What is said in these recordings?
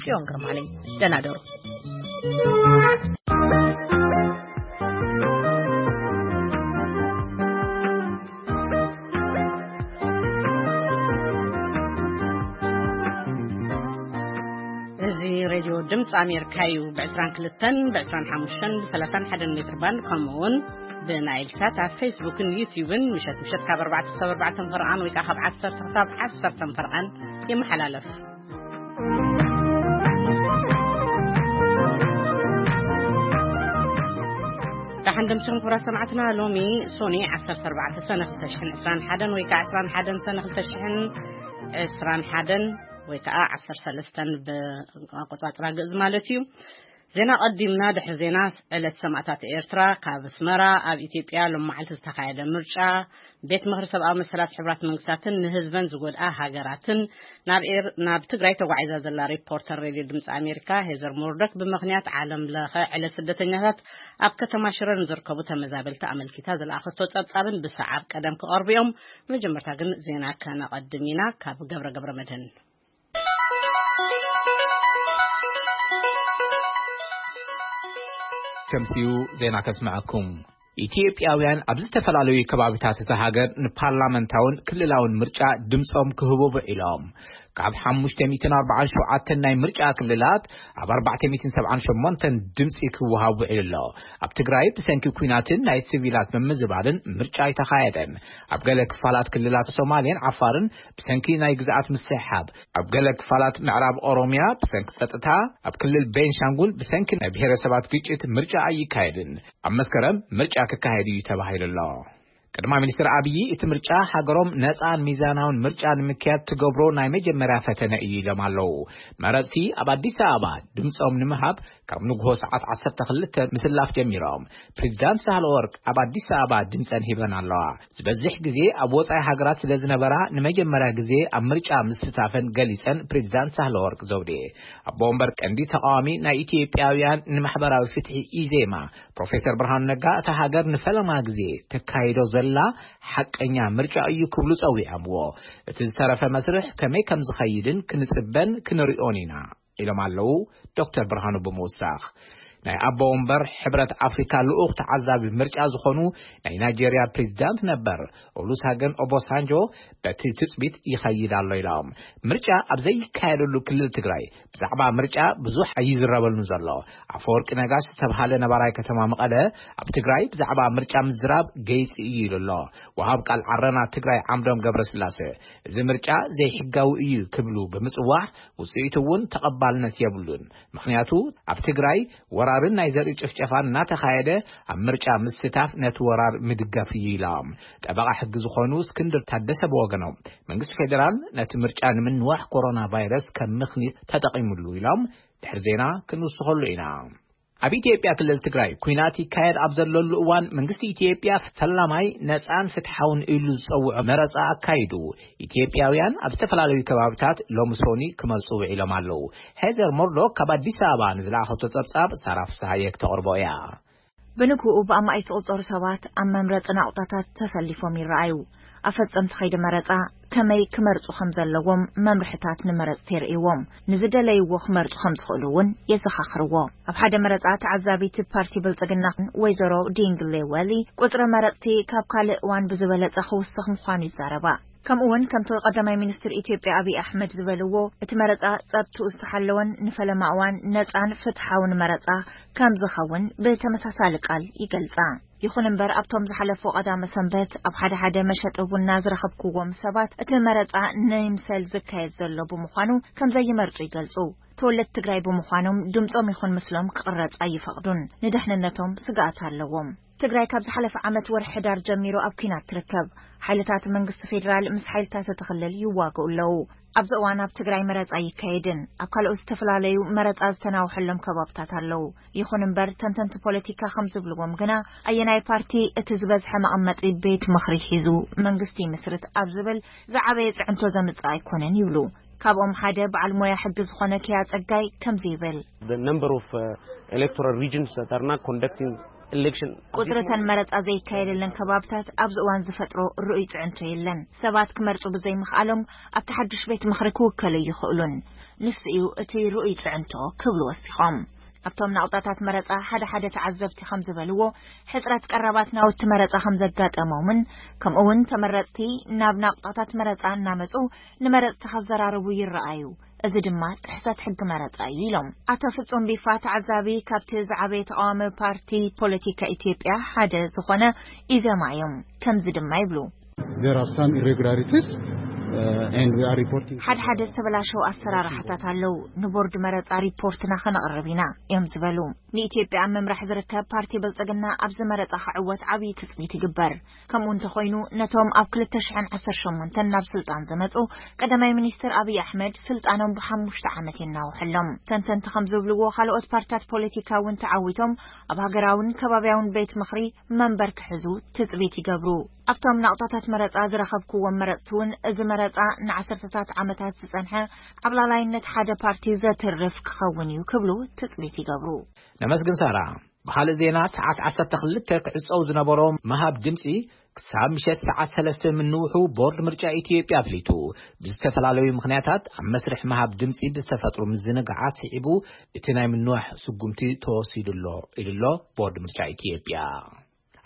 ጽዮን ግርማ ነኝ። ደህና ደሩ። እዚ ሬድዮ ድምፂ ኣሜሪካ እዩ። ብ22፣ ብ25፣ ብ31 ሜትር ባንድ፣ ከምኡ እውን ብናይል ሳት ኣብ ፌስቡክን ዩቲዩብን ምሸት ምሸት ካብ ኣርባዕተ ክሳብ ኣርባዕተ ፈርቓን ወይ ከዓ ካብ ዓሰርተ ክሳብ ዓሰርተ ፈርቓን ይመሓላለፍ። ደሓን ደምሲኹም ክቡራት ሰማዕትና። ሎሚ ሶኒ ዓሰርተ ኣርባዕተ ሰነ ክልተ ሽሕን ዕስራን ሓደን ወይ ከዓ ዕስራን ሓደን ሰነ ክልተ ሽሕን ዕስራን ሓደን ወይ ከዓ ዓሰርተ ሰለስተን ብኣቆጻጽራ ግእዝ ማለት እዩ። ዜና ቀዲምና። ድሕሪ ዜና፣ ዕለት ሰማእታት ኤርትራ፣ ካብ ኣስመራ ኣብ ኢትዮጵያ ሎም መዓልቲ ዝተኻየደ ምርጫ፣ ቤት ምኽሪ ሰብኣዊ መሰላት ሕቡራት መንግስታትን ንህዝበን ዝጎድኣ ሃገራትን፣ ናብ ኤር-፣ ናብ ትግራይ ተጓዒዛ ዘላ ሪፖርተር ሬድዮ ድምፂ ኣሜሪካ ሄዘር ሞርዶክ ብምኽንያት ዓለም ለኸ ዕለት ስደተኛታት ኣብ ከተማ ሽረ ንዝርከቡ ተመዛበልቲ ኣመልኪታ ዝለኣኸቶ ጸብጻብን ብሰዓብ ቀደም ክቐርቡ እዮም። መጀመርታ ግን ዜና ከነቐድም ኢና። ካብ ገብረ ገብረ መድህን። ከምሲኡ ዜና ከስምዐኩም። ኢትዮጵያውያን ኣብ ዝተፈላለዩ ከባቢታት እታ ሃገር ንፓርላመንታውን ክልላውን ምርጫ ድምፆም ክህቡ ውዒሎም። ካብ ሓሙሽተ ሚእትን ኣርባዓን ሸውዓተን ናይ ምርጫ ክልላት ኣብ ኣርባዕተ ሚእትን ሰብዓን ሸሞንተን ድምፂ ክወሃብ ውዒሉ ኣሎ። ኣብ ትግራይ ብሰንኪ ኲናትን ናይ ሲቪላት ምምዝባልን ምርጫ ኣይተኻየደን። ኣብ ገለ ክፋላት ክልላት ሶማሌን ዓፋርን ብሰንኪ ናይ ግዝኣት ምስሕሓብ፣ ኣብ ገለ ክፋላት ምዕራብ ኦሮምያ ብሰንኪ ጸጥታ፣ ኣብ ክልል ቤንሻንጉል ብሰንኪ ናይ ብሔረሰባት ግጭት ምርጫ ኣይካየድን። ኣብ መስከረም ምርጫ ክካየድ እዩ ተባሂሉ ኣሎ። ቀዳማይ ሚኒስትር ኣብዪ እቲ ምርጫ ሃገሮም ነጻን ሚዛናውን ምርጫ ንምክያድ ትገብሮ ናይ መጀመርያ ፈተነ እዩ ኢሎም ኣለዉ። መረጽቲ ኣብ ኣዲስ ኣበባ ድምጾም ንምሃብ ካብ ንግሆ ሰዓት ዓሰርተ ክልተ ምስላፍ ጀሚሮም። ፕሬዚዳንት ሳህለወርቅ ኣብ ኣዲስ ኣበባ ድምጸን ሂበን ኣለዋ። ዝበዝሕ ግዜ ኣብ ወጻኢ ሃገራት ስለ ዝነበራ ንመጀመርያ ግዜ ኣብ ምርጫ ምስታፈን ገሊጸን ፕሬዚዳንት ሳህለወርቅ ዘውዴ። ኣቦ ወንበር ቀንዲ ተቃዋሚ ናይ ኢትዮጵያውያን ንማሕበራዊ ፍትሒ ኢዜማ ፕሮፌሰር ብርሃኑ ነጋ እታ ሃገር ንፈለማ ግዜ ተካይዶ ዘላ ሓቀኛ ምርጫ እዩ ክብሉ ጸዊዖምዎ። እቲ ዝተረፈ መስርሕ ከመይ ከም ዝኸይድን ክንጽበን ክንሪኦን ኢና ኢሎም ኣለዉ ዶክተር ብርሃኑ ብምውሳኽ። ናይ ኣቦ ወንበር ሕብረት ኣፍሪካ ልኡኽ ተዓዛቢ ምርጫ ዝኾኑ ናይ ናይጄርያ ፕሬዚዳንት ነበር ኦሉሳገን ኦቦሳንጆ በቲ ትጽቢት ይኸይድ ኣሎ ኢሎም። ምርጫ ኣብ ዘይካየደሉ ክልል ትግራይ ብዛዕባ ምርጫ ብዙሕ ኣይዝረበሉን ዘሎ። ኣፈወርቂ ነጋሽ ዝተብሃለ ነባራይ ከተማ መቐለ ኣብ ትግራይ ብዛዕባ ምርጫ ምዝራብ ገይፂ እዩ ኢሉ ኣሎ። ወሃብ ቃል ዓረና ትግራይ ዓምዶም ገብረስላሴ እዚ ምርጫ ዘይሕጋዊ እዩ ክብሉ ብምፅዋዕ ውፅኢቱ እውን ተቐባልነት የብሉን። ምኽንያቱ ኣብ ትግራይ ወራርን ናይ ዘርኢ ጭፍጨፋን እናተኻየደ ኣብ ምርጫ ምስታፍ ነቲ ወራር ምድጋፍ እዩ ኢሎም። ጠበቓ ሕጊ ዝኾኑ እስክንድር ታደሰ ብወገኖም መንግስቲ ፌዴራል ነቲ ምርጫ ንምንዋሕ ኮሮና ቫይረስ ከም ምኽኒት ተጠቒሙሉ ኢሎም ድሕሪ ዜና ክንውስኸሉ ኢና። ኣብ ኢትዮጵያ ክልል ትግራይ ኲናት ይካየድ ኣብ ዘለሉ እዋን መንግስቲ ኢትዮጵያ ፈላማይ ነፃን ፍትሓውን ኢሉ ዝፀውዖ መረፃ ኣካይዱ። ኢትዮጵያውያን ኣብ ዝተፈላለዩ ከባብታት ሎሚ ሶኒ ክመርፁ ውዒሎም ኣለዉ። ሄዘር ሞርዶክ ካብ ኣዲስ ኣበባ ንዝለኣኸቶ ጸብጻብ ሳራ ፍስሃየ ክተቕርቦ እያ። ብንግኡ ብኣማኢት ዝቑጸሩ ሰባት ኣብ መምረጺ ናቑጣታት ተሰሊፎም ይረኣዩ። ኣፈጸምቲ ከይዲ መረጻ ከመይ ክመርጹ ከም ዘለዎም መምርሕታት ንመረጽቲ የርእይዎም። ንዝደለይዎ ክመርጹ ከም ዝኽእሉ እውን የዘኻኽርዎ። ኣብ ሓደ መረጻ ተዓዛቢት ፓርቲ ብልጽግና ወይዘሮ ዲንግሌ ወሊ፣ ቁጽሪ መረጽቲ ካብ ካልእ እዋን ብዝበለጸ ክውስኽ ምዃኑ ይዛረባ። ከምኡ እውን ከምቲ ቀዳማይ ሚኒስትር ኢትዮጵያ ኣብይ ኣሕመድ ዝበልዎ፣ እቲ መረጻ ጸጥትኡ ዝተሓለወን ንፈለማ እዋን ነጻን ፍትሓውን መረጻ ከም ዝኸውን ብተመሳሳሊ ቃል ይገልጻ። ይኹን እምበር ኣብቶም ዝሓለፉ ቀዳመ ሰንበት ኣብ ሓደ ሓደ መሸጢ ቡና ዝረኸብክዎም ሰባት እቲ መረጻ ንይምሰል ዝካየድ ዘሎ ብምዃኑ ከም ዘይመርጹ ይገልጹ። ተወለድቲ ትግራይ ብምዃኖም ድምጾም ይኹን ምስሎም ክቕረጽ ኣይፈቕዱን። ንድሕንነቶም ስግኣት ኣለዎም። ትግራይ ካብ ዝሓለፈ ዓመት ወርሒ ሕዳር ጀሚሩ ኣብ ኲናት ትርከብ። ሓይልታት መንግስቲ ፌዴራል ምስ ሓይልታት እቲ ክልል ይዋግኡ ኣለዉ። ኣብዚ እዋን ኣብ ትግራይ መረጻ ኣይካየድን። ኣብ ካልኦት ዝተፈላለዩ መረጻ ዝተናውሐሎም ከባብታት ኣለዉ። ይኹን እምበር ተንተንቲ ፖለቲካ ከም ዝብልዎም ግና ኣየናይ ፓርቲ እቲ ዝበዝሐ መቐመጢ ቤት ምኽሪ ሒዙ መንግስቲ ይምስርት ኣብ ዝብል ዝዓበየ ጽዕንቶ ዘምጽእ ኣይኮነን ይብሉ። ካብኦም ሓደ በዓል ሞያ ሕጊ ዝኾነ ኪያ ጸጋይ ከምዚ ይብል። The number of, uh, electoral regions that are not conducting election. ቁጽሪ እተን መረጻ ዘይካየደለን ከባብታት ኣብዚ እዋን ዝፈጥሮ ርኡይ ጽዕንቶ የለን። ሰባት ክመርጹ ብዘይምኽኣሎም ኣብቲ ሓድሽ ቤት ምኽሪ ክውከሉ ይኽእሉን። ንሱ እዩ እቲ ርኡይ ጽዕንቶ ክብሉ ወሲኾም። ኣብቶም ናቕጣታት መረጻ ሓደ ሓደ ተዓዘብቲ ከም ዝበልዎ፣ ሕጽረት ቀረባት ናውቲ መረጻ ከም ዘጋጠሞምን፣ ከምኡ እውን ተመረጽቲ ናብ ናቕጣታት መረጻ እናመጹ ንመረጽቲ ከዘራርቡ ይረኣዩ። እዚ ድማ ጥሕሰት ሕጊ መረጻ እዩ ኢሎም። ኣቶ ፍጹም ቢፋ፣ ተዓዛቢ ካብቲ ዝዓበየ ተቃዋሚ ፓርቲ ፖለቲካ ኢትዮጵያ ሓደ ዝኾነ ኢዘማ እዮም። ከምዚ ድማ ይብሉ። There are some irregularities, uh, and we are reporting. ሓደ ሓደ ዝተበላሸው ኣሰራርሓታት ኣለዉ። ንቦርድ መረጻ ሪፖርትና ከነቕርብ ኢና እዮም ዝበሉ። ንኢትዮጵያ ኣብ ምምራሕ ዝርከብ ፓርቲ ብልጽግና ኣብዚ መረጻ ክዕወት ዓብዪ ትጽቢት ይግበር። ከምኡ እንተኾይኑ፣ ነቶም ኣብ ክልተ ሽሕን ዓሰርተ ሸሞንተን ናብ ስልጣን ዝመጹ ቀዳማይ ሚኒስትር ኣብይ ኣሕመድ ስልጣኖም ብሓሙሽተ ዓመት የናውሐሎም። ተንተንቲ ከም ዝብልዎ፣ ካልኦት ፓርትታት ፖለቲካ እውን ተዓዊቶም ኣብ ሃገራውን ከባቢያውን ቤት ምኽሪ መንበር ክሕዙ ትጽቢት ይገብሩ። ኣብቶም ናቕጣታት መረጻ ዝረኸብክዎም መረጽቲ እውን፣ እዚ መረጻ ንዓሰርተታት ዓመታት ዝጸንሐ ዓብላላይነት ሓደ ፓርቲ ዘትርፍ ክኸውን እዩ ክብሉ ትጽቢት ይገብሩ። ነመስግን ሳራ። ብኻልእ ዜና፣ ሰዓት ዓሰርተ ክልተ ክዕጸው ዝነበሮ ምሃብ ድምጺ ክሳብ ምሸት ሰዓት ሰለስተ ምንውሑ ቦርድ ምርጫ ኢትዮጵያ ኣፍሊጡ። ብዝተፈላለዩ ምኽንያታት ኣብ መስርሕ ምሃብ ድምጺ ብዝተፈጥሩ ምዝንጋዓት ስዒቡ እቲ ናይ ምንዋሕ ስጉምቲ ተወሲዱ ኣሎ ኢሉ ኣሎ ቦርድ ምርጫ ኢትዮጵያ።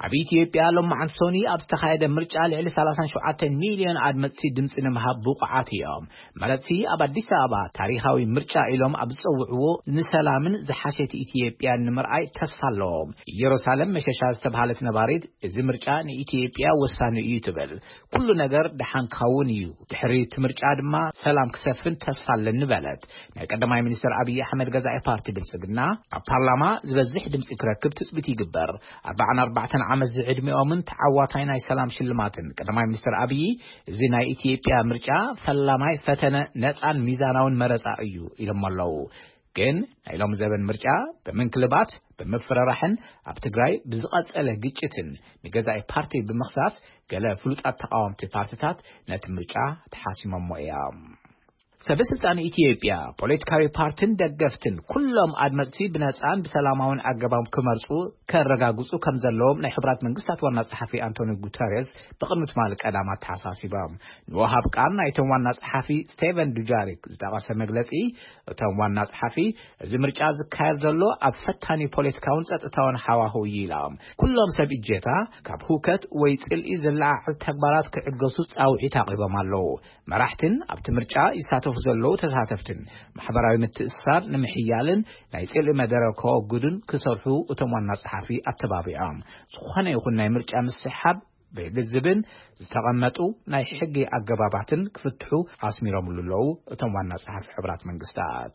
ኣብ ኢትዮጵያ ሎማዓንቲ ሰኑይ ኣብ ዝተኻየደ ምርጫ ልዕሊ ሰላሳን ሸውዓተን ሚልዮን ኣድመፅቲ ድምፂ ንምሃብ ብቑዓት እዮም። መረፅቲ ኣብ ኣዲስ ኣበባ ታሪኻዊ ምርጫ ኢሎም ኣብ ዝፀውዕዎ ንሰላምን ዝሓሸት ኢትዮጵያን ንምርኣይ ተስፋ ኣለዎም። ኢየሩሳሌም መሸሻ ዝተባሃለት ነባሪት፣ እዚ ምርጫ ንኢትዮጵያ ወሳኒ እዩ ትብል። ኩሉ ነገር ደሓን ክኸውን እዩ፣ ድሕሪ እቲ ምርጫ ድማ ሰላም ክሰፍን ተስፋ ኣለኒ በለት። ናይ ቀዳማይ ሚኒስትር ኣብይ ኣሕመድ ገዛኢ ፓርቲ ብልጽግና ኣብ ፓርላማ ዝበዝሕ ድምጺ ክረክብ ትጽቢት ይግበር። ኣርባዓን ኣርባዕተን ዓመት ዝዕድሚኦምን ተዓዋታይ ናይ ሰላም ሽልማትን ቀዳማይ ሚኒስትር ኣብይ፣ እዚ ናይ ኢትዮጵያ ምርጫ ፈላማይ ፈተነ ነጻን ሚዛናውን መረጻ እዩ ኢሎም ኣለዉ። ግን ናይ ሎሚ ዘበን ምርጫ ብምንክልባት፣ ብምፍርራሕን ኣብ ትግራይ ብዝቐጸለ ግጭትን ንገዛኢ ፓርቲ ብምኽሳስ፣ ገለ ፍሉጣት ተቓወምቲ ፓርትታት ነቲ ምርጫ ተሓሲሞሞ እዮም። ሰበ ስልጣን ኢትዮጵያ፣ ፖለቲካዊ ፓርትን ደገፍትን ኩሎም ኣድመፅቲ ብነፃን ብሰላማውን ኣገባብ ክመርፁ ከረጋግፁ ከም ዘለዎም ናይ ሕቡራት መንግስታት ዋና ጸሓፊ ኣንቶኒ ጉተሬዝ ብቕድሚ ትማሊ ቀዳም ኣተሓሳሲቦም። ንወሃብ ቃል ናይቶም ዋና ጸሓፊ ስቴቨን ዱጃሪክ ዝጠቐሰ መግለጺ፣ እቶም ዋና ጸሓፊ፣ እዚ ምርጫ ዝካየድ ዘሎ ኣብ ፈታኒ ፖለቲካውን ጸጥታውን ሃዋህው እዩ ኢሎም። ኩሎም ሰብ እጀታ ካብ ህውከት ወይ ጽልኢ ዝለዓዓል ተግባራት ክዕገሱ ጻውዒት ኣቕሪቦም ኣለዉ። መራሕትን ኣብቲ ምርጫ ይሳተፉ ዘለዉ ተሳተፍትን ማሕበራዊ ምትእስሳር ንምሕያልን ናይ ጽልኢ መደረ ከወግዱን ክሰርሑ እቶም ዋና ጸሓፊ ኣተባቢዖም። ዝኾነ ይኹን ናይ ምርጫ ምስሕሓብ ብልዝብን ዝተቐመጡ ናይ ሕጊ ኣገባባትን ክፍትሑ ኣስሚሮምሉ ኣለዉ እቶም ዋና ጸሓፊ ሕቡራት መንግስታት።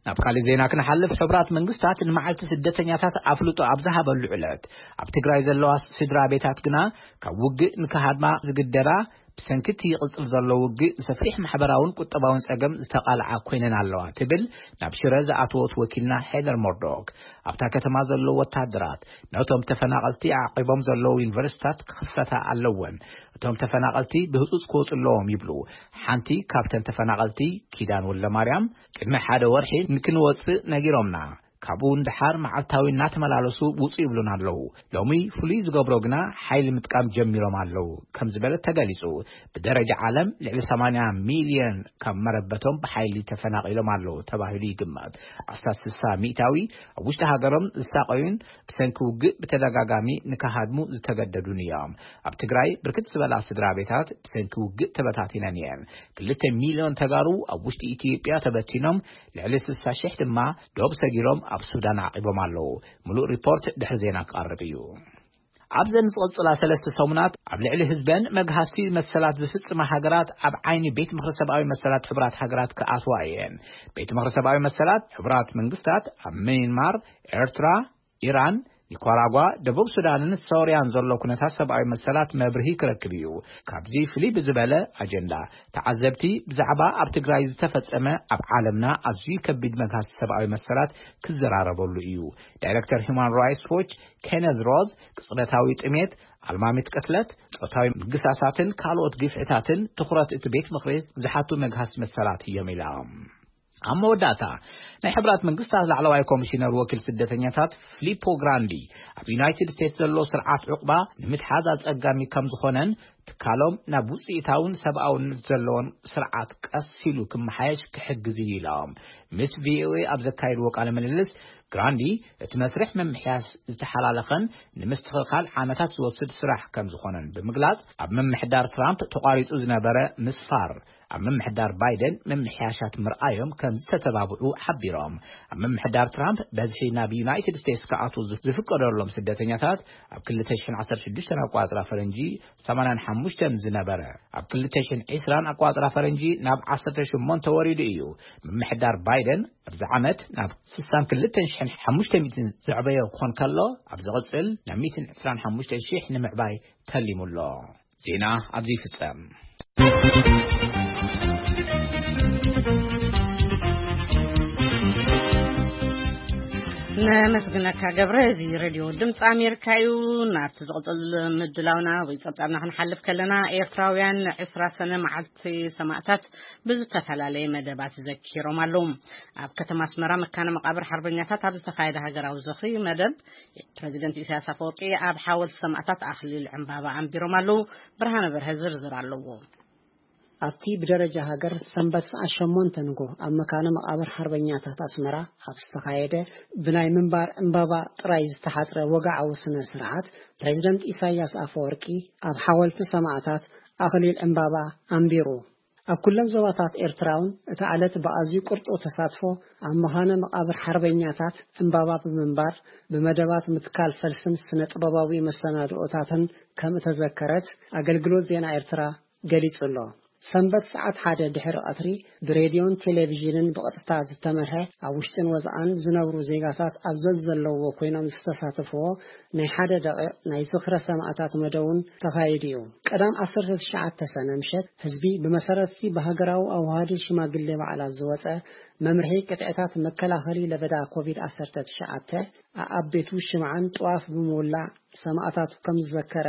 ናብ ካልእ ዜና ክንሓልፍ፣ ሕቡራት መንግስታት ንመዓልቲ ስደተኛታት ኣፍልጦ ኣብ ዝሃበሉ ዕለት፣ ኣብ ትግራይ ዘለዋ ስድራ ቤታት ግና ካብ ውግእ ንክሃድማ ዝግደዳ፣ ብሰንኪ እቲ ይቕጽል ዘሎ ውግእ ንሰፊሕ ማሕበራውን ቁጠባውን ጸገም ዝተቓልዓ ኮይነን ኣለዋ ትብል ናብ ሽረ ዝኣተወት ወኪልና ሄደር ሞርዶክ። ኣብታ ከተማ ዘለዉ ወታደራት ነቶም ተፈናቐልቲ ዓቂቦም ዘለዉ ዩኒቨርሲታት ክኽፈታ ኣለወን፣ እቶም ተፈናቐልቲ ብህጹጽ ክወጹ ኣለዎም ይብሉ። ሓንቲ ካብተን ተፈናቐልቲ፣ ኪዳን ወልደማርያም፣ ቅድሚ ሓደ ወርሒ ንክንወጽእ ነጊሮምና፣ ካብኡ ንደሓር መዓልታዊ እናተመላለሱ ውጹ ይብሉና ኣለዉ። ሎሚ ፍሉይ ዝገብሮ ግና ሓይሊ ምጥቃም ጀሚሮም ኣለዉ ከም ዝበለት ተገሊጹ። ብደረጃ ዓለም ልዕሊ ሰማንያ ሚልዮን ካብ መረበቶም ብሓይሊ ተፈናቒሎም ኣለዉ ተባሂሉ ይግመት። ኣስታት ስሳ ሚእታዊ ኣብ ውሽጢ ሃገሮም ዝሳቐዩን ብሰንኪ ውግእ ብተደጋጋሚ ንክሃድሙ ዝተገደዱን እዮም። ኣብ ትግራይ ብርክት ዝበላ ስድራ ቤታት ብሰንኪ ውግእ ተበታቲነን እየን። ክልተ ሚልዮን ተጋሩ ኣብ ውሽጢ ኢትዮጵያ ተበቲኖም፣ ልዕሊ ስሳ ሽሕ ድማ ዶብ ሰጊሮም ኣብ ሱዳን ዓቂቦም ኣለዉ። ምሉእ ሪፖርት ድሕሪ ዜና ክቐርብ እዩ። ኣብዘን ዝቕጽላ ሰለስተ ሰሙናት ኣብ ልዕሊ ህዝበን መግሃስቲ መሰላት ዝፍጽማ ሃገራት ኣብ ዓይኒ ቤት ምኽሪ ሰብኣዊ መሰላት ሕቡራት ሃገራት ክኣትዋ እየን። ቤት ምኽሪ ሰብኣዊ መሰላት ሕቡራት መንግስታት ኣብ ሚያንማር፣ ኤርትራ፣ ኢራን፣ ኒካራጓ፣ ደቡብ ሱዳንን ሶርያን ዘሎ ኩነታት ሰብኣዊ መሰላት መብርሂ ክረክብ እዩ። ካብዚ ፍልይ ብዝበለ ኣጀንዳ፣ ተዓዘብቲ ብዛዕባ ኣብ ትግራይ ዝተፈጸመ ኣብ ዓለምና ኣዝዩ ከቢድ መግሃስቲ ሰብኣዊ መሰላት ክዘራረበሉ እዩ። ዳይረክተር ሂውማን ራይትስ ዎች ኬነዝ ሮዝ፣ ቅጽበታዊ ጥሜት፣ ኣልማሚት ቅትለት፣ ጾታዊ ምግሳሳትን ካልኦት ግፍዕታትን ትኹረት እቲ ቤት ምኽሪ ዝሓቱ መግሃስቲ መሰላት እዮም ኢላ። ኣብ መወዳእታ፣ ናይ ሕቡራት መንግስታት ላዕለዋይ ኮሚሽነር ወኪል ስደተኛታት ፊሊፖ ግራንዲ፣ ኣብ ዩናይትድ ስቴትስ ዘሎ ስርዓት ዕቑባ ንምትሓዝ ኣጸጋሚ ከም ዝኾነን ትካሎም ናብ ውፅኢታውን ሰብኣውነት ዘለዎን ስርዓት ቀስ ኢሉ ክመሓየሽ ክሕግዝ እዩ ኢሎም። ምስ ቪኦኤ ኣብ ዘካየድዎ ቃለ ምልልስ ግራንዲ፣ እቲ መስርሕ ምምሕያሽ ዝተሓላለኸን ንምስትኽኻል ዓመታት ዝወስድ ስራሕ ከም ዝኾነን ብምግላጽ፣ ኣብ ምምሕዳር ትራምፕ ተቋሪጹ ዝነበረ ምስፋር ኣብ ምምሕዳር ባይደን ምምሕያሻት ምርኣዮም ከም ዝተተባብዑ ሓቢሮም። ኣብ ምምሕዳር ትራምፕ በዝሒ ናብ ዩናይትድ ስቴትስ ክኣትዉ ዝፍ-፣ ዝፍቀደሎም ስደተኛታት ኣብ ክልተ ሽሕን ዓሰርተ ሽዱሽተን ኣቋጽራ ፈረንጂ ሰማንያን ሓሙሽተን ዝነበረ ኣብ ክልተ ሽሕን ዕስራን ኣቋጽራ ፈረንጂ ናብ ዓሰርተ ሸሞንተ ወሪዱ እዩ። ምምሕዳር ባይደን ኣብዚ ዓመት ናብ ስሳን ክልተን ሽሕን ሓሙሽተ ሚእትን ዘዕበዮ ክኾን ከሎ፣ ኣብ ዝቕጽል ናብ ሚእትን ዕስራን ሓሙሽተ ሽሕ ንምዕባይ ተሊሙ ኣሎ። ዜና ኣብዚ ይፍጸም። ነመስግነካ ገብረ። እዚ ሬድዮ ድምፂ ኣሜሪካ እዩ። ናብቲ ዝቕፅል ምድላውና ወይ ፀብፃብና ክንሓልፍ ከለና፣ ኤርትራውያን ዕስራ ሰነ መዓልቲ ሰማእታት ብዝተፈላለየ መደባት ዘኪሮም ኣለዉ። ኣብ ከተማ ኣስመራ መካነ መቃብር ሓርበኛታት ኣብ ዝተኻየደ ሃገራዊ ዝኽሪ መደብ፣ ፕረዚደንት ኢሳያስ ኣፈወርቂ ኣብ ሓወልቲ ሰማእታት ኣኽሊል ዕምባባ ኣንቢሮም ኣለዉ። ብርሃነ በርሀ ዝርዝር ኣለዎ። ኣብቲ ብደረጃ ሃገር ሰንበት ሰዓት ሸሞንተ ንጎ ኣብ መካነ መቃብር ሓርበኛታት ኣስመራ ኣብ ዝተኻየደ ብናይ ምንባር ዕምባባ ጥራይ ዝተሓጽረ ወግዓዊ ስነ ስርዓት፣ ፕሬዚደንት ኢሳያስ ኣፈወርቂ ኣብ ሓወልቲ ሰማእታት ኣኽሊል ዕምባባ ኣንቢሩ። ኣብ ኩለን ዞባታት ኤርትራ እውን እታ ዕለት ብኣዝዩ ቅርጡው ተሳትፎ ኣብ መኻነ መቓብር ሓርበኛታት ዕምባባ ብምንባር፣ ብመደባት ምትካል ፈልስን ስነ ጥበባዊ መሰናድኦታትን ከም እተዘከረት ኣገልግሎት ዜና ኤርትራ ገሊጹ ኣሎ። ሰንበት ሰዓት ሓደ ድሕሪ ቀትሪ ብሬድዮን ቴሌቪዥንን ብቐጥታ ዝተመርሐ፣ ኣብ ውሽጥን ወጻእን ዝነብሩ ዜጋታት ኣብ ዘዘለዎ ኮይኖም ዝተሳተፍዎ ናይ ሓደ ደቂቕ ናይ ዝኽረ ሰማእታት መደብ እውን ተኻይዱ እዩ። ቀዳም ዓሰርተ ትሽዓተ ሰነ ምሸት ህዝቢ ብመሰረትቲ ብሃገራዊ ኣዋሃዲ ሽማግሌ በዓላት ዝወጸ መምርሒ ቅጥዕታት መከላኸሊ ለበዳ ኮቪድ ዓሰርተ ትሽዓተ ኣኣብ ቤቱ ሽምዓን ጥዋፍ ብምውላዕ ሰማእታቱ ከም ዝዘከረ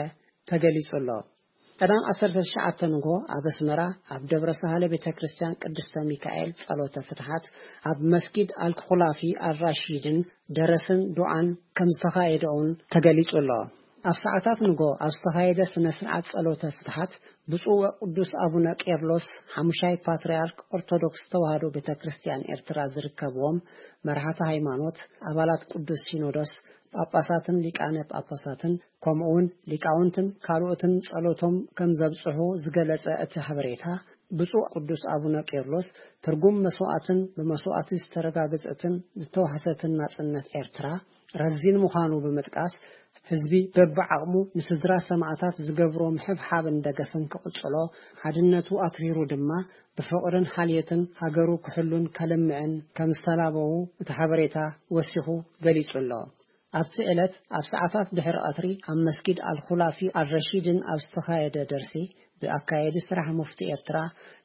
ተገሊጹ ኣሎ። ቀዳም ዓሰርተ ትሽዓተ ንግሆ ኣብ ኣስመራ ኣብ ደብረ ሳህለ ቤተ ክርስቲያን ቅድስተ ሚካኤል ጸሎተ ፍትሓት፣ ኣብ መስጊድ ኣልኩላፊ ኣልራሺድን ደረስን ዱዓን ከም ዝተኻየደ እውን ተገሊጹ ኣሎ። ኣብ ሰዓታት ንግሆ ኣብ ዝተኻየደ ስነ ስርዓት ጸሎተ ፍትሓት፣ ብፁዕ ወቅዱስ ኣቡነ ቄርሎስ ሓሙሻይ ፓትርያርክ ኦርቶዶክስ ተዋህዶ ቤተ ክርስቲያን ኤርትራ ዝርከብዎም መራሕቲ ሃይማኖት፣ ኣባላት ቅዱስ ሲኖዶስ፣ ጳጳሳትን ሊቃነ ጳጳሳትን ከምኡውን ሊቃውንትን ካልኦትን ጸሎቶም ከም ዘብጽሑ ዝገለጸ እቲ ሓበሬታ፣ ብፁዕ ቅዱስ ኣቡነ ቄርሎስ ትርጉም መስዋዕትን ብመስዋዕቲ ዝተረጋገጸትን ዝተዋሕሰትን ናጽነት ኤርትራ ረዚን ምዃኑ ብምጥቃስ፣ ህዝቢ በብዓቕሙ ንስድራ ሰማእታት ዝገብሮ ምሕብሓብን ደገፍን ክቕጽሎ፣ ሓድነቱ ኣትሪሩ ድማ ብፍቕርን ሓልዮትን ሃገሩ ክሕሉን ከልምዕን ከም ዝተላበዉ እቲ ሓበሬታ ወሲኹ ገሊጹ ኣሎ። ኣብቲ ዕለት ኣብ ሰዓታት ድሕሪ ቀትሪ ኣብ መስጊድ ኣልኹላፊ ኣልረሺድን ኣብ ዝተኻየደ ደርሲ፣ ብኣካየዲ ስራሕ ሙፍቲ ኤርትራ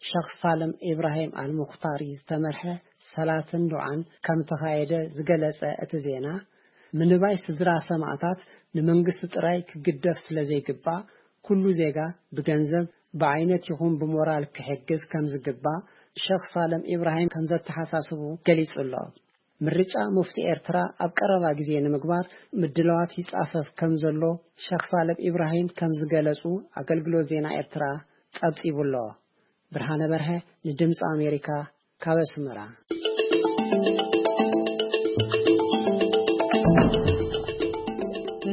ሸኽ ሳልም ኢብራሂም ኣልሙኽታሪ ዝተመርሐ ሰላትን ዱዓን ከም ተኻየደ ዝገለጸ እቲ ዜና፣ ምንባይ ስድራ ሰማእታት ንመንግስቲ ጥራይ ክግደፍ ስለ ዘይግባእ፣ ኩሉ ዜጋ ብገንዘብ፣ ብዓይነት ይኹን ብሞራል ክሕግዝ ከም ዝግባእ ሸኽ ሳልም ኢብራሂም ከም ዘተሓሳስቡ ገሊጹ ኣሎ። ምርጫ ሙፍቲ ኤርትራ ኣብ ቀረባ ግዜ ንምግባር ምድላዋት ይጻፈፍ ከም ዘሎ ሸኽ ሳልም ኢብራሂም ከም ዝገለጹ ኣገልግሎት ዜና ኤርትራ ጸብጺቡ ኣሎ። ብርሃነ በርሀ ንድምጺ ኣሜሪካ ካብ ኣስመራ።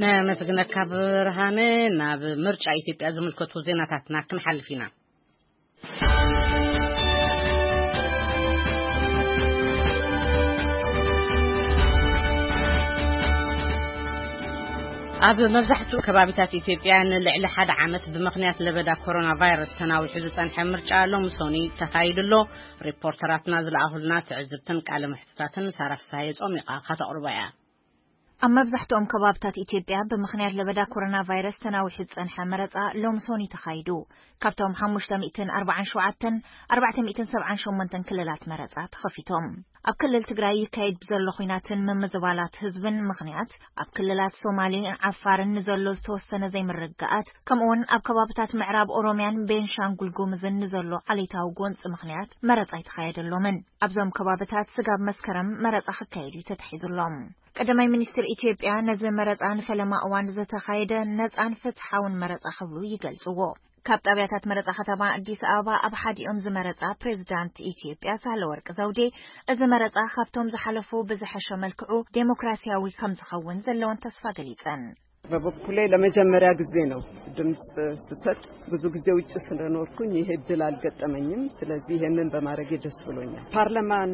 ነመስግነካ ብርሃነ። ናብ ምርጫ ኢትዮጵያ ዝምልከቱ ዜናታትና ክንሓልፍ ኢና። ኣብ መብዛሕትኡ ከባቢታት ኢትዮጵያ ንልዕሊ ሓደ ዓመት ብምኽንያት ለበዳ ኮሮና ቫይረስ ተናዊሑ ዝጸንሐ ምርጫ ሎሚ ሶኒ ተኻይዱ ኣሎ። ሪፖርተራትና ዝለኣኹልና ትዕዝብትን ቃለ መሕትታትን ሳራ ፍስሃየ ጾሚቓ ከተቕርቦ እያ። ኣብ መብዛሕትኦም ከባብታት ኢትዮጵያ ብምኽንያት ለበዳ ኮሮና ቫይረስ ተናዊሑ ዝጸንሐ መረጻ ሎሚ ሶኒ ተኻይዱ። ካብቶም ሓሙሽተ ሚእትን ኣርባዓን ሸውዓተን፣ ኣርባዕተ ሚእትን ሰብዓን ሸሞንተን ክልላት መረጻ ተኸፊቶም። ኣብ ክልል ትግራይ ይካየድ ብዘሎ ኹናትን ምምዝባላት ህዝብን ምኽንያት፣ ኣብ ክልላት ሶማሌን ዓፋርን ንዘሎ ዝተወሰነ ዘይምርግጋኣት፣ ከምኡውን ኣብ ከባብታት ምዕራብ ኦሮሚያን ቤንሻንጉል ጉምዝን ንዘሎ ዓሌታዊ ጎንጺ ምኽንያት መረጻ ኣይተኻየደሎምን። ኣብዞም ከባብታት ስጋብ መስከረም መረጻ ክካየድ እዩ ተታሒዙሎም። ቀዳማይ ሚኒስትር ኢትዮጵያ ነዚ መረጻ ንፈለማ እዋን ዝተኻየደ ነጻን ፍትሓውን መረጻ ክብሉ ይገልጽዎ። ካብ ጣብያታት መረፃ ከተማ ኣዲስ ኣበባ ኣብ ሓዲኦም ዝመረፃ ፕሬዚዳንት ኢትዮጵያ ሳህለወርቅ ዘውዴ፣ እዚ መረፃ ካብቶም ዝሓለፉ ብዝሐሸ መልክዑ ዴሞክራሲያዊ ከም ዝኸውን ዘለውን ተስፋ ገሊፀን። በበኩሌ ለመጀመሪያ ጊዜ ነው ድምፅ ስሰጥ። ብዙ ጊዜ ውጭ ስለኖርኩኝ ይሄ እድል አልገጠመኝም። ስለዚህ ይሄንን በማድረጌ ደስ ብሎኛል። ፓርላማን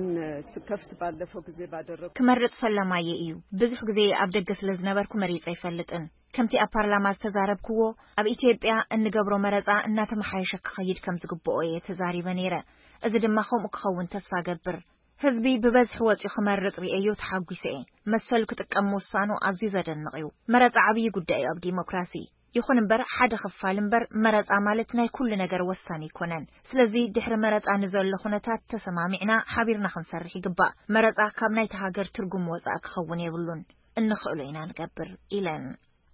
ስከፍት ባለፈው ጊዜ ባደረጉ ክመርፅ ፈለማየ እዩ። ብዙሕ ግዜ ኣብ ደገ ስለ ዝነበርኩ መሪፀ ኣይፈልጥን። ከምቲ ኣብ ፓርላማ ዝተዛረብክዎ፣ ኣብ ኢትዮጵያ እንገብሮ መረፃ እናተመሓየሸ ክኸይድ ከም ዝግብኦ እየ ተዛሪበ ነይረ። እዚ ድማ ከምኡ ክኸውን ተስፋ ገብር። ህዝቢ ብበዝሒ ወፂኡ ክመርፅ ርእየዮ ተሓጒሰ እየ። መሰሉ ክጥቀም ምውሳኑ ኣዝዩ ዘደንቕ እዩ። መረፃ ዓብዪ ጉዳይ እዩ ኣብ ዲሞክራሲ። ይኹን እምበር፣ ሓደ ክፋል እምበር፣ መረፃ ማለት ናይ ኩሉ ነገር ወሳኒ ኣይኮነን። ስለዚ ድሕሪ መረፃ ንዘሎ ኩነታት ተሰማሚዕና ሓቢርና ክንሰርሕ ይግባእ። መረፃ ካብ ናይቲ ሃገር ትርጉም ወፃኢ ክኸውን የብሉን። እንኽእሎ ኢና ንገብር ኢለን።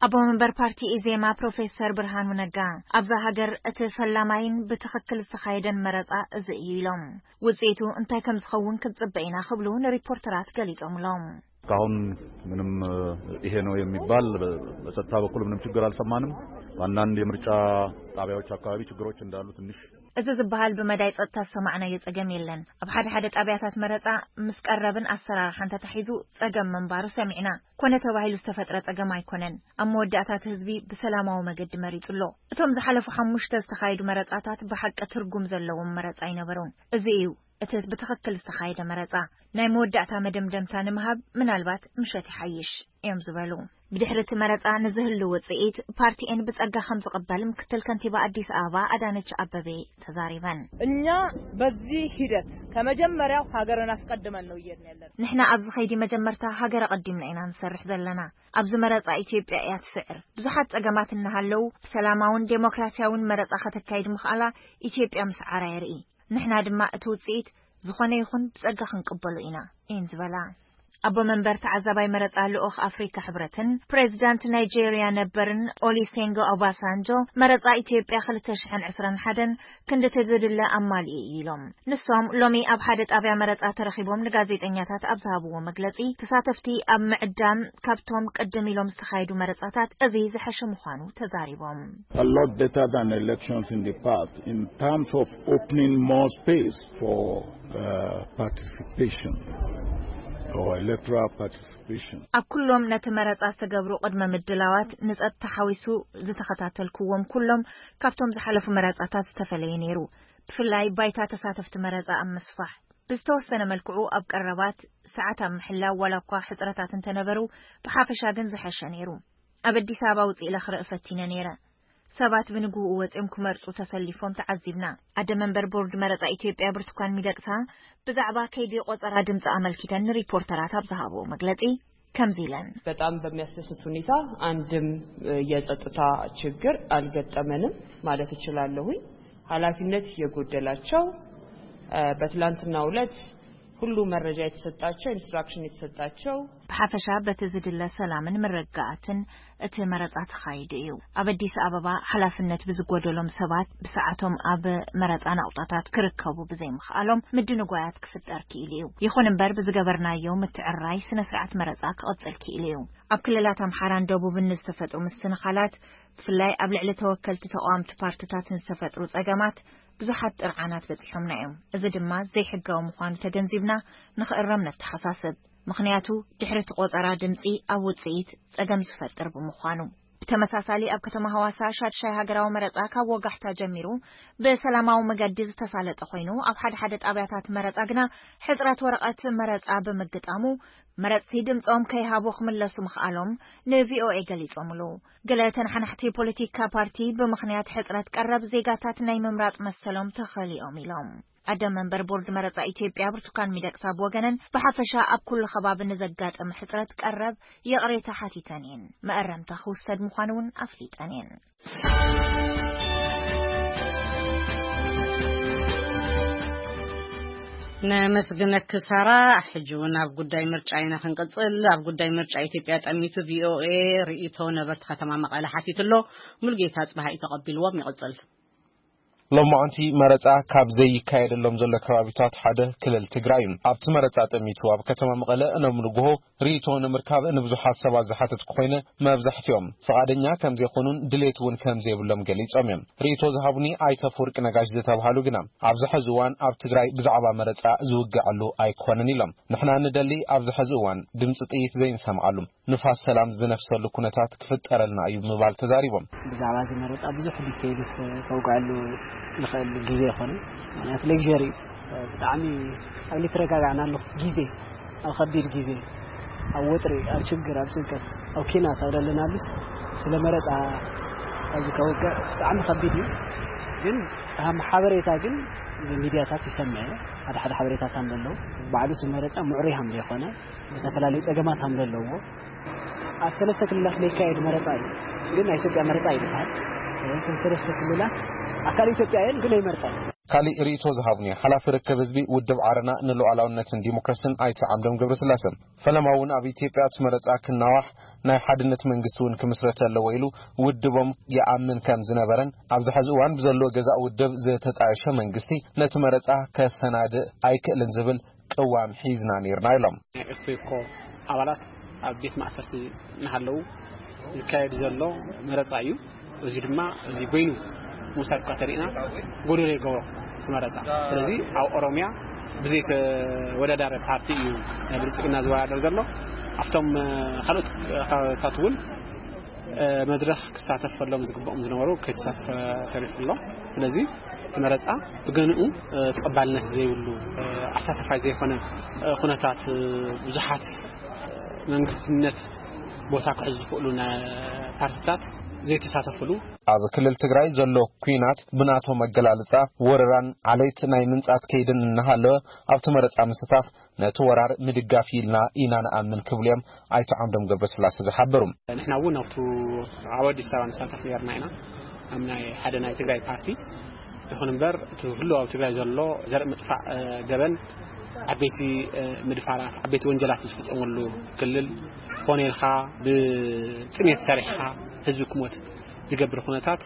ኣቦ መንበር ፓርቲ ኢዜማ ፕሮፌሰር ብርሃኑ ነጋ፣ ኣብዛ ሃገር እቲ ፈላማይን ብትኽክል ዝተኻየደን መረፃ እዚ እዩ ኢሎም። ውፅኢቱ እንታይ ከም ዝኸውን ክንፅበ ኢና ክብሉ ንሪፖርተራት ገሊፆምሎም። እስካሁን ምንም ይሄ ነው የሚባል በጸጥታ በኩል ምንም ችግር አልሰማንም። በአንዳንድ የምርጫ ጣቢያዎች አካባቢ ችግሮች እንዳሉ ትንሽ እዚ ዝበሃል ብመዳይ ጸጥታ ዝሰማዕናዮ ጸገም የለን። ኣብ ሓደ ሓደ ጣብያታት መረጻ ምስ ቀረብን ኣሰራርሓን ተታሒዙ ጸገም ምንባሩ ሰሚዕና። ኮነ ተባሂሉ ዝተፈጥረ ጸገም ኣይኮነን። ኣብ መወዳእታ እቲ ህዝቢ ብሰላማዊ መገዲ መሪጹ ኣሎ። እቶም ዝሓለፉ ሓሙሽተ ዝተኻየዱ መረጻታት ብሓቂ ትርጉም ዘለዎም መረጻ ኣይነበሩን። እዚ እዩ እቲ ብትኽክል ዝተኻየደ መረጻ። ናይ መወዳእታ መደምደምታ ንምሃብ ምናልባት ምሸት ይሓይሽ እዮም ዝበሉ። ብድሕሪ እቲ መረጻ ንዝህሉ ውጽኢት ፓርቲኤን ብጸጋ ከም ዝቕበል ምክትል ከንቲባ ኣዲስ ኣበባ ኣዳነች ኣበቤ ተዛሪበን። እኛ በዚህ ሂደት ከመጀመሪያው ሀገርን አስቀድመን ነው እየድን ያለን። ንሕና ኣብዚ ኸይዲ መጀመርታ ሃገር ኣቐዲምና ኢና ንሰርሕ ዘለና። ኣብዚ መረጻ ኢትዮጵያ እያ ትስዕር። ብዙሓት ጸገማት እናሃለዉ ብሰላማውን ዴሞክራሲያውን መረጻ ከተካይድ ምኽኣላ ኢትዮጵያ ምስዓራ የርኢ። ንሕና ድማ እቲ ውጽኢት ዝኾነ ይኹን ብጸጋ ክንቅበሎ ኢና እየን ዝበላ። ኣቦ መንበር ተዓዛባይ መረጻ ልኡኽ ኣፍሪካ ሕብረትን ፕሬዚዳንት ናይጄሪያ ነበርን ኦሊሴንጎ ኦባሳንጆ፣ መረጻ ኢትዮጵያ ክልተ ሽሕን ዕስራን ሓደን ክንድቲ ዝድለ ኣማሊኡ እዩ ኢሎም። ንሶም ሎሚ ኣብ ሓደ ጣብያ መረጻ ተረኺቦም ንጋዜጠኛታት ኣብ ዝሃብዎ መግለጺ፣ ተሳተፍቲ ኣብ ምዕዳም ካብቶም ቅድም ኢሎም ዝተኻየዱ መረጻታት እዚ ዝሐሸ ምዃኑ ተዛሪቦም። A lot better than elections in the past in terms of opening more space for uh, participation or electoral participation. ኣብ ኩሎም ነቲ መረጻ ዝተገብሩ ቅድመ ምድላዋት ንጸጥታ ሓዊሱ ዝተኸታተልክዎም ኩሎም ካብቶም ዝሓለፉ መረጻታት ዝተፈለየ ነይሩ። ብፍላይ ባይታ ተሳተፍቲ መረጻ ኣብ ምስፋሕ ብዝተወሰነ መልክዑ ኣብ ቀረባት ሰዓት ኣብ ምሕላው ዋላ እኳ ሕጽረታት እንተነበሩ ብሓፈሻ ግን ዝሐሸ ነይሩ። ኣብ ኣዲስ ኣበባ ውጽእ ኢለ ክርኢ ፈቲነ ነይረ። ሰባት ብንግህኡ ወጺኦም ክመርጹ ተሰሊፎም ተዓዚብና። ኣደ መንበር ቦርድ መረጻ ኢትዮጵያ ብርቱካን ሚደቅሳ ብዛዕባ ከይዲ ቆጸራ ድምጺ ኣመልኪተን ንሪፖርተራት ኣብ ዝሃብኦ መግለጺ ከምዚ ኢለን። በጣም በሚያስደስት ሁኔታ አንድም የጸጥታ ችግር አልገጠመንም ማለት እችላለሁኝ። ኃላፊነት የጎደላቸው በትላንትናው ዕለት ሁሉ መረጃ የተሰጣቸው ኢንስትራክሽን የተሰጣቸው ብሓፈሻ በቲ ዝድለ ሰላምን ምርግጋኣትን እቲ መረጻ ተኻይዱ እዩ። ኣብ ኣዲስ ኣበባ ሓላፍነት ብዝጎደሎም ሰባት ብሰዓቶም ኣብ መረጻ ናቑጣታት ክርከቡ ብዘይምኽኣሎም ምድንጓያት ክፍጠር ክኢሉ እዩ። ይኹን እምበር ብዝገበርናዮ ምትዕርራይ ስነ ስርዓት መረጻ ክቕጽል ክኢሉ እዩ። ኣብ ክልላት ኣምሓራን ደቡብን ንዝተፈጥሩ ምስንኻላት ብፍላይ ኣብ ልዕሊ ተወከልቲ ተቓወምቲ ፓርትታት ንዝተፈጥሩ ጸገማት ብዙሓት ጥርዓናት በጺሖምና እዮም። እዚ ድማ ዘይሕጋዊ ምዃኑ ተገንዚብና ንኽእረም ነተሓሳስብ። ምኽንያቱ ድሕሪ እቲ ቆጸራ ድምጺ ኣብ ውጽኢት ጸገም ዝፈጥር ብምዃኑ። ብተመሳሳሊ ኣብ ከተማ ሃዋሳ ሻድሻይ ሃገራዊ መረጻ ካብ ወጋሕታ ጀሚሩ ብሰላማዊ መገዲ ዝተሳለጠ ኮይኑ ኣብ ሓደ ሓደ ጣብያታት መረጻ ግና ሕጽረት ወረቐት መረጻ ብምግጣሙ መረጽቲ ድምጾም ከይሃቡ ክምለሱ ምኽኣሎም ንቪኦኤ ገሊጾምሉ። ገለ ተነሓናሕቲ ፖለቲካ ፓርቲ ብምኽንያት ሕጽረት ቀረብ ዜጋታት ናይ ምምራጽ መሰሎም ተኸሊኦም ኢሎም። ኣደ መንበር ቦርድ መረጻ ኢትዮጵያ ብርቱካን ሚደቅሳ ብወገነን ብሓፈሻ ኣብ ኩሉ ከባቢ ንዘጋጠመ ሕጽረት ቀረብ ይቕሬታ ሓቲተን እየን። መእረምታ ክውሰድ ምዃኑ እውን ኣፍሊጠን እየን። ነመስግነኪ ሳራ። ሕጂ እውን ኣብ ጉዳይ ምርጫ ኢና ክንቅጽል። ኣብ ጉዳይ ምርጫ ኢትዮጵያ ጠሚቱ ቪኦኤ ርእይቶ ነበርቲ ከተማ መቐለ ሓቲቱ ኣሎ። ሙሉጌታ ጽባሃ እዩ ተቐቢልዎም። ይቕጽል። ሎማዓንቲ መረጻ ካብ ዘይካየደሎም ዘሎ ከባቢታት ሓደ ክልል ትግራይ እዩ። ኣብቲ መረጻ ጠሚቱ ኣብ ከተማ መቐለ እነም ንግሆ ርእይቶ ንምርካብ ንብዙሓት ሰባት ዝሓተትኩ ኮይነ፣ መብዛሕትኦም ፍቓደኛ ከም ዘይኮኑን ድሌት እውን ከም ዘይብሎም ገሊጾም እዮም። ርእይቶ ዝሃቡኒ ኣይተ ኣፈወርቂ ነጋሽ ዝተባሃሉ ግና፣ ኣብዚ ሕዚ እዋን ኣብ ትግራይ ብዛዕባ መረጻ ዝውግዐሉ ኣይኮነን ኢሎም። ንሕና ንደሊ ኣብዚ ሕዚ እዋን ድምፂ ጥይት ዘይንሰምዓሉ፣ ንፋስ ሰላም ዝነፍሰሉ ኩነታት ክፍጠረልና እዩ ብምባል ተዛሪቦም። ብዛዕባ እዚ መረጻ ብዙሕ ዲቴይልስ ከውግዐሉ ንኽእል ግዜ ይኾነ። ምኽንያቱ ሌክዠሪ እዩ። ብጣዕሚ ኣብ ልትረጋጋዕና ኣለኹ ግዜ፣ ኣብ ከቢድ ግዜ፣ ኣብ ወጥሪ፣ ኣብ ችግር፣ ኣብ ጭንቀት፣ ኣብ ኪናት ኣብ ደለናሉስ ስለ መረጻ ኣብዚ ከውግዕ ብጣዕሚ ከቢድ እዩ። ግን ከም ሓበሬታ ግን ሚድያታት ይሰምዐ፣ ሓደ ሓደ ሓበሬታታት ኣለዉ። ባዕሉ እቲ መረጻ ምዕሩይ ከም ዘይኮነ፣ ዝተፈላለዩ ጸገማት ከም ዘለዎ፣ ኣብ ሰለስተ ክልላት ለይካየድ መረጻ እዩ። ግን ናይ ኢትዮጵያ መረጻ እዩ ዝበሃል። እቶም ሰለስተ ክልላት ኣካል ኢትዮጵያ እየን፣ ግን ኣይመርጻ እዩ። ካሊእ ርእይቶ ዝሃቡኒ ሓላፊ ርክብ ህዝቢ ውድብ ዓረና ንሉዓላውነትን ዲሞክራስን ኣይተ ዓምዶም ገብረስላሰ፣ ፈለማ እውን ኣብ ኢትዮጵያ እቲ መረጻ ክናዋሕ ናይ ሓድነት መንግስቲ እውን ክምስረት ኣለዎ ኢሉ ውድቦም ይኣምን ከም ዝነበረን፣ ኣብዚ ሕዚ እዋን ብዘሎ ገዛእ ውድብ ዝተጣየሸ መንግስቲ ነቲ መረጻ ከሰናድእ ኣይክእልን ዝብል ቅዋም ሒዝና ነይርና ኢሎም። ናይ ኦፌኮ ኣባላት ኣብ ቤት ማእሰርቲ እናሃለዉ ዝካየድ ዘሎ መረጻ እዩ። እዚ ድማ እዚ በይኑ ምውሳድ እኳ ተሪእና ጎደሎ ይገብሮ እቲ መረጻ። ስለዚ ኣብ ኦሮሚያ ብዘይተወዳዳሪ ፓርቲ እዩ ናይ ብልጽግና ዝወዳደር ዘሎ። ኣብቶም ካልኦት ከባቢታት እውን መድረኽ ክሳተፍ ከሎም ዝግብኦም ዝነበሩ ከይተሳተፈ ተሪፉ ኣሎ። ስለዚ እቲ መረጻ ብገንኡ ተቐባልነት ዘይብሉ ኣሳተፋይ ዘይኮነ ኩነታት ብዙሓት መንግስትነት ቦታ ክሕዙ ዝኽእሉ ናይ ፓርቲታት ዘይተሳተፍሉ። ኣብ ክልል ትግራይ ዘሎ ኲናት ብናቶም ኣገላልጻ ወረራን ዓሌት ናይ ምንጻት ከይድን እናሃለወ ኣብቲ መረጻ ምስታፍ ነቲ ወራር ምድጋፍ ኢልና ኢና ንኣምን ክብሉ እዮም ኣይተ ዓምዶም ገብረስላሴ ዝሓበሩ። ንሕና እውን ኣብቱ ኣብ ኣዲስ ኣበባ ንሳተፍ ነርና ኢና ኣብ ናይ ሓደ ናይ ትግራይ ፓርቲ። ይኹን እምበር እቲ ህልው ኣብ ትግራይ ዘሎ ዘርኢ ምጥፋእ ገበን ዓበይቲ ምድፋራት ዓበይቲ ወንጀላት ዝፍፀመሉ ክልል ዝኾነ ኢልካ ብጥሜት ሰሪሕካ ህዝቢ ክሞት ዝገብር ኩነታት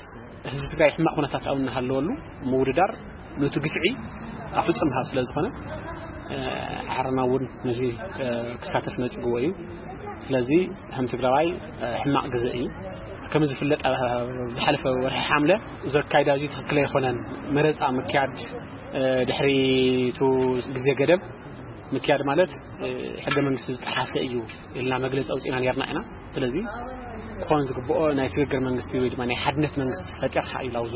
ህዝቢ ትግራይ ሕማቕ ኩነታት ኣብ እናሃለወሉ ምውድዳር ነቲ ግፍዒ ኣፍልጦ ምሃብ ስለ ዝኾነ ዓረና እውን ነዚ ክሳተፍ ነፅግዎ እዩ። ስለዚ ከም ትግራዋይ ሕማቕ ግዜ እዩ። ከም ዝፍለጥ ዝሓለፈ ወርሒ ሓምለ ዘካይዳ እዚ ትኽክል ኣይኮነን። መረፃ ምክያድ ድሕሪ እቲ ግዜ ገደብ ምክያድ ማለት ሕገ መንግስቲ ዝጠሓሰ እዩ ኢልና መግለፂ ኣውፂና ነርና ኢና። ስለዚ ክኾን ዝግብኦ ናይ ስግግር መንግስቲ ወይ ድማ ናይ ሓድነት መንግስቲ ፈጢርካ እዩ ላውዙ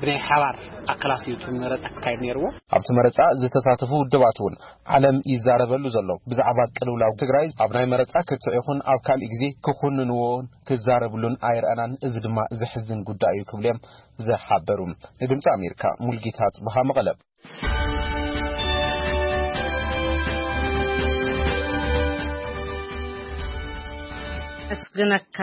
ብናይ ሓባር ኣካላት እዩ እቲ መረፃ ክካየድ ነይርዎ። ኣብቲ መረፃ ዝተሳተፉ ውድባት እውን ዓለም ይዛረበሉ ዘሎ ብዛዕባ ቅልውላው ትግራይ ኣብ ናይ መረፃ ክትዕ ይኹን ኣብ ካልእ ግዜ ክኹንንዎን ክዛረብሉን ኣይረኣናን። እዚ ድማ ዘሕዝን ጉዳይ እዩ ክብሉ እዮም ዝሓበሩ። ንድምፂ ኣሜሪካ ሙልጌታ ጽብሃ መቐለ። ኣመስግነካ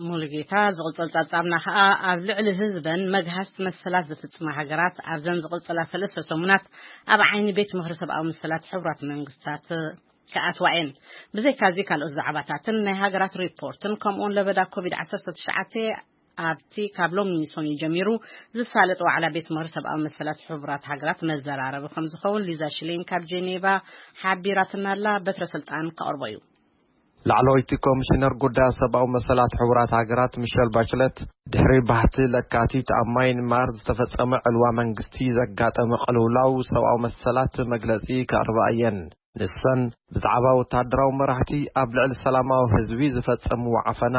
ሙሉጌታ። ዝቕጽል ጸብጻብና ከኣ ኣብ ልዕሊ ህዝበን መግሃስቲ መሰላት ዝፍጽማ ሃገራት ኣብዘን ዝቕጽላ ሰለስተ ሰሙናት ኣብ ዓይኒ ቤት ምኽሪ ሰብኣዊ መሰላት ሕቡራት መንግስታት ክኣትዋ እየን። ብዘይካዚ ካልኦት ዛዕባታትን ናይ ሃገራት ሪፖርትን ከምኡውን ለበዳ ኮቪድ ዓሰርተ ትሽዓተ ኣብቲ ካብ ሎሚ ሰኑይ ጀሚሩ ዝሳለጥ ዋዕላ ቤት ምኽሪ ሰብኣዊ መሰላት ሕቡራት ሃገራት መዘራረቢ ከም ዝኸውን ሊዛ ሽሌን ካብ ጄኔቫ ሓቢራትና ኣላ። በትረ ስልጣን ከቕርቦ እዩ። ላዕለወይቲ ኮሚሽነር ጉዳያት ሰብኣዊ መሰላት ሕቡራት ሃገራት ሚሸል ባችለት ድሕሪ ባህቲ ለካቲት ኣብ ማይንማር ዝተፈጸመ ዕልዋ መንግስቲ ዘጋጠመ ቅልውላው ሰብኣዊ መሰላት መግለጺ ከቕርባ እየን። ንሰን ብዛዕባ ወታደራዊ መራሕቲ ኣብ ልዕሊ ሰላማዊ ህዝቢ ዝፈጸምዎ ዓፈና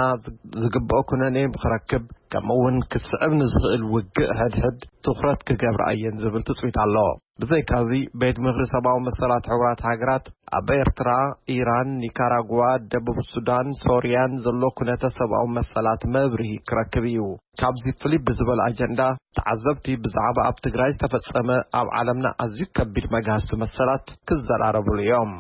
ዝግብኦ ኩነኔ ክረክብ ከምኡ እውን ክስዕብ ንዝኽእል ውግእ ሕድሕድ ትኹረት ክገብራ እየን ዝብል ትጽቢት ኣሎ። ብዘይካዚ ቤት ምኽሪ ሰብኣዊ መሰላት ሕቡራት ሃገራት ኣብ ኤርትራ፣ ኢራን፣ ኒካራጓ፣ ደቡብ ሱዳን፣ ሶርያን ዘሎ ኩነተ ሰብኣዊ መሰላት መብርሂ ክረክብ እዩ። ካብዚ ፍልይ ብዝበለ ኣጀንዳ ተዓዘብቲ ብዛዕባ ኣብ ትግራይ ዝተፈጸመ ኣብ ዓለምና ኣዝዩ ከቢድ መግሃስቲ መሰላት ክዘራረብሉ እዮም።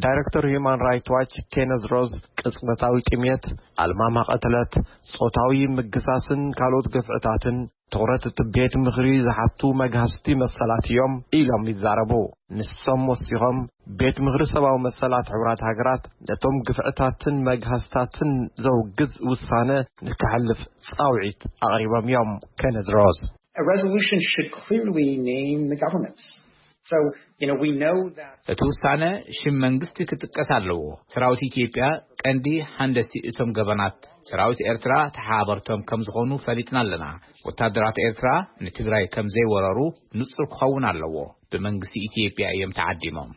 ዳይሬክተር ሂዩማን ራይት ዋች ኬነዝ ሮዝ ቅጽበታዊ ጥሜት፣ ኣልማማ ቅትለት፣ ጾታዊ ምግሳስን ካልኦት ግፍዕታትን ትኹረት እቲ ቤት ምኽሪ ዝሓቱ መግሃስቲ መሰላት እዮም ኢሎም ይዛረቡ። ንሶም ወሲኾም ቤት ምኽሪ ሰብኣዊ መሰላት ሕቡራት ሃገራት ነቶም ግፍዕታትን መግሃስታትን ዘውግዝ ውሳነ ንክሕልፍ ጻውዒት ኣቕሪቦም እዮም። ኬነዝ ሮዝ A resolution should clearly name the governments. So, you know, we know that. እቲ ውሳነ ሽም መንግስቲ ክጥቀስ ኣለዎ። ሰራዊት ኢትዮጵያ ቀንዲ ሓንደስቲ እቶም ገበናት ሰራዊት ኤርትራ ተሓባበርቶም ከም ዝኾኑ ፈሊጥና ኣለና። ወታደራት ኤርትራ ንትግራይ ከም ዘይወረሩ ንጹር ክኸውን ኣለዎ። ብመንግስቲ ኢትዮጵያ እዮም ተዓዲሞም።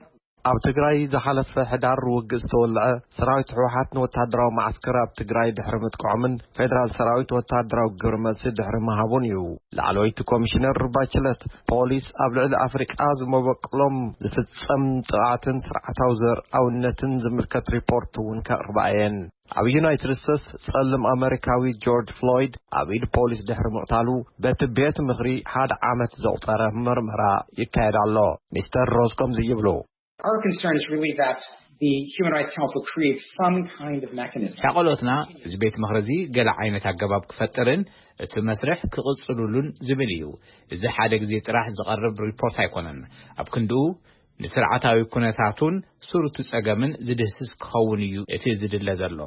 ኣብ ትግራይ ዝሓለፈ ሕዳር ውግእ ዝተወልዐ ሰራዊት ህወሓት ንወታደራዊ መዓስከር ኣብ ትግራይ ድሕሪ ምጥቃዖምን ፌደራል ሰራዊት ወታደራዊ ግብረ መልሲ ድሕሪ ምሃቡን እዩ። ላዕለወይቲ ኮሚሽነር ባችለት፣ ፖሊስ ኣብ ልዕሊ ኣፍሪቃ ዝመበቅሎም ዝፍጸም ጥቓትን ስርዓታዊ ዘርኣውነትን ዝምልከት ሪፖርት እውን ከቕርባ እየን። ኣብ ዩናይትድ ስቴትስ ጸልም ኣመሪካዊ ጆርጅ ፍሎይድ ኣብ ኢድ ፖሊስ ድሕሪ ምቕታሉ በቲ ቤት ምኽሪ ሓደ ዓመት ዘቑጸረ ምርመራ ይካየድ ኣሎ። ሚስተር ሮዝ ከምዚ ይብሉ። Our concern is really that the Human Rights Council creates some kind of mechanism. ሓቆሎትና እዚ ቤት ምኽሪ እዚ ገለ ዓይነት ኣገባብ ክፈጥርን እቲ መስርሕ ክቕጽሉሉን ዝብል እዩ። እዚ ሓደ ግዜ ጥራሕ ዝቐርብ ሪፖርት ኣይኮነን። ኣብ ክንድኡ ንስርዓታዊ ኩነታቱን ስሩቱ ጸገምን ዝድህስስ ክኸውን እዩ እቲ ዝድለ ዘሎ።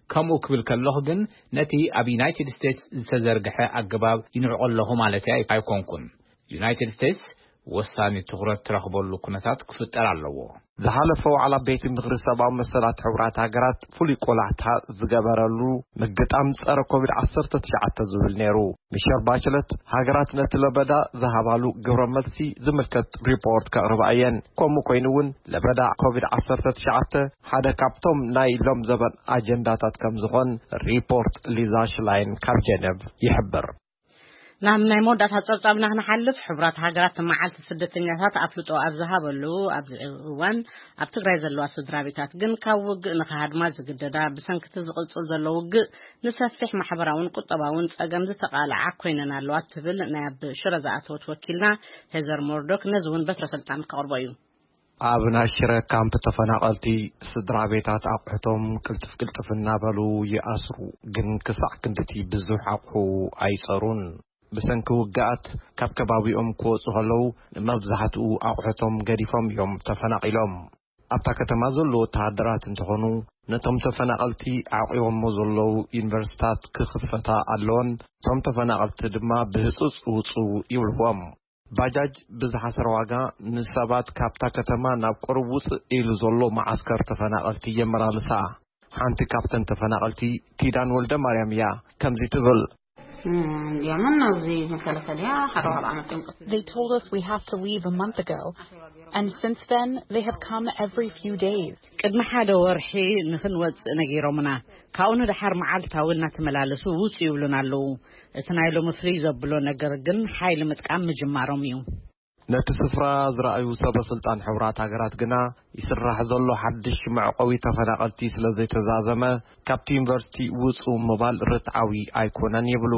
ከምኡ ክብል ከለኹ ግን ነቲ ኣብ ዩናይትድ ስቴትስ ዝተዘርግሐ ኣገባብ ይንዕቆ ኣለኹ ማለት ኣይኮንኩን። ዩናይትድ ስቴትስ ወሳኒ ትኹረት ትረኽበሉ ኩነታት ክፍጠር ኣለዎ። ዝሓለፈ ዋዕላ ቤት ምኽሪ ሰብኣዊ መሰላት ሕቡራት ሃገራት ፍሉይ ቆላሕታ ዝገበረሉ ምግጣም ጸረ ኮቪድ ዓሰርተ ትሽዓተ ዝብል ነይሩ። ሚሸል ባችለት ሃገራት ነቲ ለበዳ ዝሃባሉ ግብረ መልሲ ዝምልከት ሪፖርት ከቕርባ እየን። ከምኡ ኮይኑ እውን ለበዳ ኮቪድ ዓሰርተ ትሽዓተ ሓደ ካብቶም ናይ ሎም ዘበን ኣጀንዳታት ከም ዝኾን ሪፖርት ሊዛ ሽላይን ካብ ጀነቭ ይሕብር። ናብ ናይ መወዳእታ ጸብጻብና ክንሓልፍ፣ ሕቡራት ሃገራት መዓልቲ ስደተኛታት ኣፍልጦ ኣብ ዝሃበሉ ኣብዚ እዋን፣ ኣብ ትግራይ ዘለዋ ስድራ ቤታት ግን ካብ ውግእ ንኽሃድማ ዝግደዳ፣ ብሰንክቲ ዝቕጽል ዘሎ ውግእ ንሰፊሕ ማሕበራውን ቁጠባውን ጸገም ዝተቓልዓ ኮይነን ኣለዋ ትብል ናይ ኣብ ሽረ ዝኣተወት ወኪልና ሄዘር ሞርዶክ ነዚ እውን በትረ ስልጣን ከቕርቦ እዩ። ኣብ ናይ ሽረ ካምፕ ተፈናቐልቲ ስድራ ቤታት ኣቑሑቶም ቅልጥፍ ቅልጥፍ እናበሉ ይኣስሩ፣ ግን ክሳዕ ክንድቲ ብዙሕ ኣቑሑ ኣይጸሩን። ብሰንኪ ውግኣት ካብ ከባቢኦም ክወጹ ከለዉ ንመብዛሕትኡ ኣቑሑቶም ገዲፎም እዮም ተፈናቒሎም። ኣብታ ከተማ ዘለዉ ወተሃደራት እንተኾኑ ነቶም ተፈናቐልቲ ዓቂቦሞ ዘለዉ ዩኒቨርሲታት ክኽፈታ ኣለወን፣ እቶም ተፈናቐልቲ ድማ ብህጹጽ ውጹ ይብልዎም። ባጃጅ ብዝሓሰረ ዋጋ ንሰባት ካብታ ከተማ ናብ ቁሩብ ውጽእ ኢሉ ዘሎ መዓስከር ተፈናቐልቲ የመላልሳ። ሓንቲ ካብተን ተፈናቐልቲ ኪዳን ወልደ ማርያም እያ። ከምዚ ትብል። እንዲያምን ኣብዚ መከላከልያ ሓደ ዋዕላ መፅኦም ቀስ They told us we have to leave a month ago, and since then they have come every few days. ቅድሚ ሓደ ወርሒ ንኽንወጽእ ነጊሮምና። ካብኡ ንደሓር መዓልታዊ እናተመላለሱ ውጹ ይብሉና ኣለዉ። እቲ ናይ ሎሚ ፍልይ ዘብሎ ነገር ግን ሓይሊ ምጥቃም ምጅማሮም እዩ። ነቲ ስፍራ ዝረኣዩ ሰበ ስልጣን ሕቡራት ሃገራት ግና ይስራሕ ዘሎ ሓድሽ መዕቆቢ ተፈናቐልቲ ስለ ዘይተዛዘመ ካብቲ ዩኒቨርሲቲ ውጹ ምባል ርትዓዊ ኣይኮነን ይብሉ።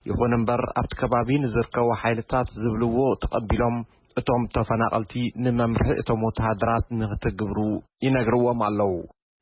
ይኹን እምበር ኣብቲ ከባቢ ንዝርከቡ ሓይልታት ዝብልዎ ተቐቢሎም እቶም ተፈናቐልቲ ንመምርሒ እቶም ወተሃደራት ንክትግብሩ ይነግርዎም ኣለዉ።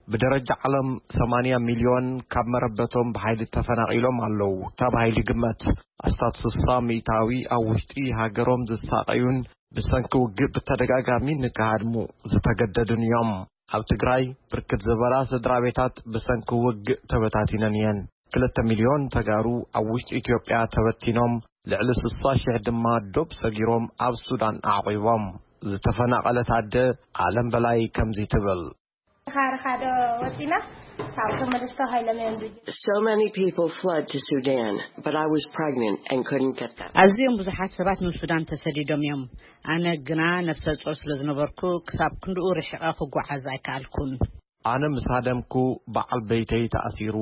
ብደረጃ ዓለም ሰማንያ ሚልዮን ካብ መረበቶም ብሓይሊ ተፈናቒሎም ኣለዉ ተባሂሉ ይግመት። ኣስታት ስሳ ሚእታዊ ኣብ ውሽጢ ሃገሮም ዝሳቐዩን ብሰንኪ ውግእ ብተደጋጋሚ ንክሃድሙ ዝተገደዱን እዮም። ኣብ ትግራይ ብርክት ዝበላ ስድራ ቤታት ብሰንኪ ውግእ ተበታቲነን እየን። ክልተ ሚልዮን ተጋሩ ኣብ ውሽጢ ኢትዮጵያ ተበቲኖም፣ ልዕሊ ስሳ ሽሕ ድማ ዶብ ሰጊሮም ኣብ ሱዳን ኣዕቒቦም። ዝተፈናቐለት ኣደ ኣለም በላይ ከምዚ ትብል። ካርኻዶ ወፂና ካብ ተመልስቶ ሃይለመን So many people fled to Sudan, but I was pregnant and couldn't get them. ኣዝዮም ብዙሓት ሰባት ንሱዳን ተሰዲዶም እዮም። ኣነ ግና ነፍሰ ጾር ስለ ዝነበርኩ ክሳብ ክንድኡ ርሒቐ ክጓዓዝ ኣይከኣልኩን። ኣነ ምስ ሃደምኩ በዓል በይተይ ተኣሲሩ፣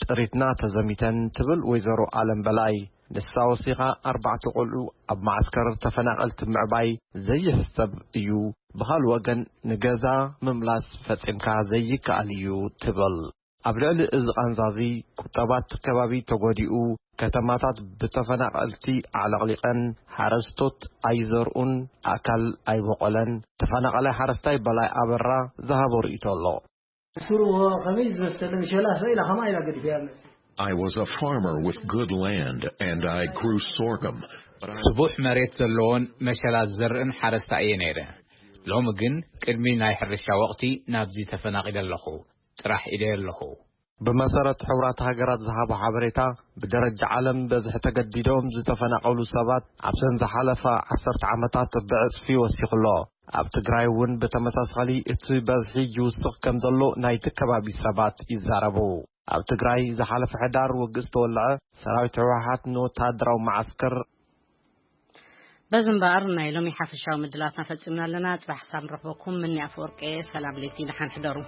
ጥሪትና ተዘሚተን ትብል ወይዘሮ ኣለም በላይ። ንሳ ወሲኻ ኣርባዕተ ቆልዑ ኣብ መዓስከር ተፈናቐልቲ ምዕባይ ዘይሕሰብ እዩ። ብኻል ወገን ንገዛ ምምላስ ፈጺምካ ዘይከኣል እዩ ትብል። ኣብ ልዕሊ እዚ ቃንዛዚ ቁጠባት ከባቢ ተጎዲኡ፣ ከተማታት ብተፈናቐልቲ ዓለቕሊቐን፣ ሓረስቶት ኣይዘርኡን፣ ኣእካል ኣይበቆለን። ተፈናቐላይ ሓረስታይ በላይ ኣበራ ዝሃቦ ርእይቶ ኣሎ። ስሩ ከመይ ዝመሰለ ምሸላ ሰኢላ ከማ ኢላ ገዲፈያ መሲ I was a farmer with good land and I grew sorghum. ስቡሕ መሬት ዘለዎን መሸላ ዝዘርእን ሓረስታ እየ ነይረ። ሎሚ ግን ቅድሚ ናይ ሕርሻ ወቕቲ ናብዚ ተፈናቒለ ኣለኹ። ጥራሕ ኢደየ ኣለኹ። ብመሰረት ሕቡራት ሃገራት ዝሃቦ ሓበሬታ፣ ብደረጃ ዓለም በዝሒ ተገዲዶም ዝተፈናቐሉ ሰባት ኣብተን ዝሓለፋ ዓሰርተ ዓመታት ብዕጽፊ ወሲኹ ኣሎ። ኣብ ትግራይ እውን ብተመሳሳሊ እቲ በዝሒ ይውስኽ ከም ዘሎ ናይቲ ከባቢ ሰባት ይዛረቡ። ኣብ ትግራይ ዝሓለፈ ሕዳር ውግእ ዝተወልዐ ሰራዊት ህወሓት ንወተሃደራዊ መዓስከር በዚ እምበኣር ናይ ሎሚ ሓፈሻዊ ምድላትና ፈጺምና ኣለና። ጽባሕ ክሳብ ንረኽበኩም ምኒ ኣፈወርቂ እየ። ሰላም ለይቲ፣ ደሓን ሕደሩ።